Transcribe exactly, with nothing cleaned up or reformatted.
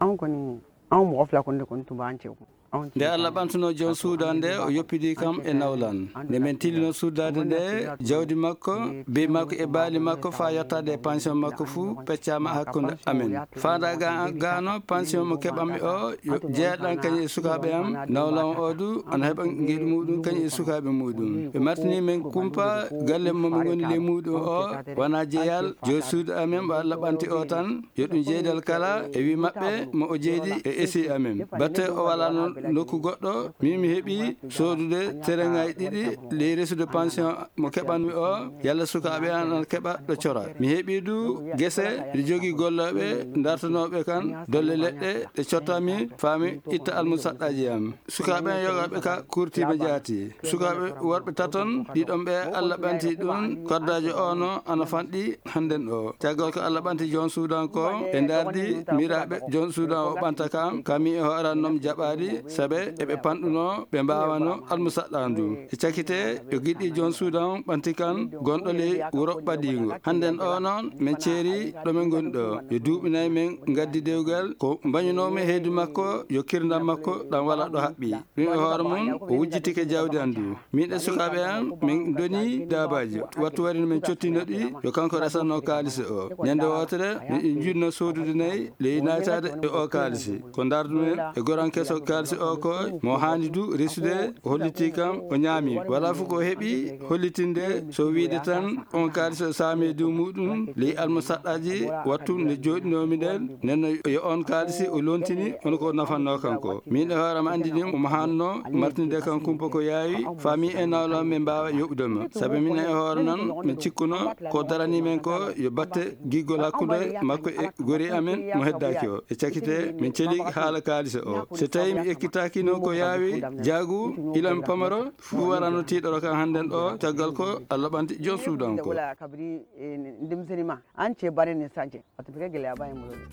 An kɔni, anw mɔgɔ fila kɔni de kɔni tun b'an cɛ kun. Anw tun Nde bɛ Allah taa ɓantunoo joom suudan nde, o yoppidii kam e nawlan. Nde men tillinoo suudaade nde, jawdi makko, beyi makko e baali makko faa yottaade e pension makko fuu peccaama hakkunde amen. Faandaa ga gaano pension mo keɓanmi o yo jeyaɗan kañum e sukaaɓe am. Nawlan o du ana heɓa ngeyɗi muɗum kañum e sukaaɓe muɗum. Ɓe martini men kumpa galle mo min ngoni ley muɗum o, wonaa jeyal joom suudu amen mo Allah ɓanti o tan. Yo ɗum jeydal kala e wi maɓɓe mo o jeydi e esi amen. Batte o walano nokku goɗɗo, min mi heɓi soodude tereŋaaji ɗiɗi ley resude pension mo keɓanmi o. Yalla sukaaɓe an ana keɓa ɗo cora. Mi heɓi du gese, mi jogii gollooɓe dartanooɓe kan dolle leɗɗe ɗe cottanmi faa mi itta almusaɗɗaaji am. Sukaaɓe an yogaaɓe ka kurtiima jaati. Sukaaɓe worɓe taton, ɗiɗon ɓe Allah ɓanti ɗum, koddaajo o no ana fanɗi hannden ɗo. Caggal ko Allah ɓanti joom suudan ko, ɓe ndardi miraaɓe joom suudan o ɓanta kam, ka mi e hooran non jaɓaali, sabe eɓe panɗuno ɓe mbaawano almusaɗɗaandu. E cakite, yo giɗɗi joom suudan ɓanti kan gonɗo ley wuro ɓadiingo. Hannden o non, men ceeri ɗo men ngoni ɗo. Yo duuɓi nay men ngaddi dewgal, ko mbañunoomi heydi makko, yo kirndam makko ɗam wala ɗo haɓɓi. Ɗum e hoore mum, o wujjitike jawdi an du. Min e sukaaɓe an, min ndoni daabaaji. Wattu wari no min cottino ɗi, yo kanko resanno kaalisi o. Ñande wootere, min ɗi njunno soodude nayi, ley naataade e o kaalisi. Ko ndardumen e goran keso kaalisi o ko, mo haani du resude, o hollitii kam, o ñaami. Wala fof ko o heɓi hollitinde, so wiide tan, on kaalisi o saami e dow muɗum, ley almusaɗɗaaji, wattu nde jooɗinoomi nden, nden no yo on kaalisi o lontini, hono ko nafannoo kanko. Min e hoore am anndini mo haanno martinde kan kumpa ko yaawi, faa mi e nawlam men mbaawa yoɓude mo. Sabi min e hoore nan, min cikkuno ko darani men ko yo batte giggol hakkunde makko e gori amen mo heddaaki o. E cakite, min celi haala kaalisi o. So tawi mi ekkitaaki noon ko yaawi, jaagu, ila mi pamaro, fuu warano tiiɗoro kan hannden ɗo, caggal ko Allah ɓanti joom suudan ko. Wala kabiri, eh, denmisɛnnin ma, an cɛ bannen ni sisan cɛ, a tun bɛ kɛ gɛlɛyaba ye n bolo dɛ.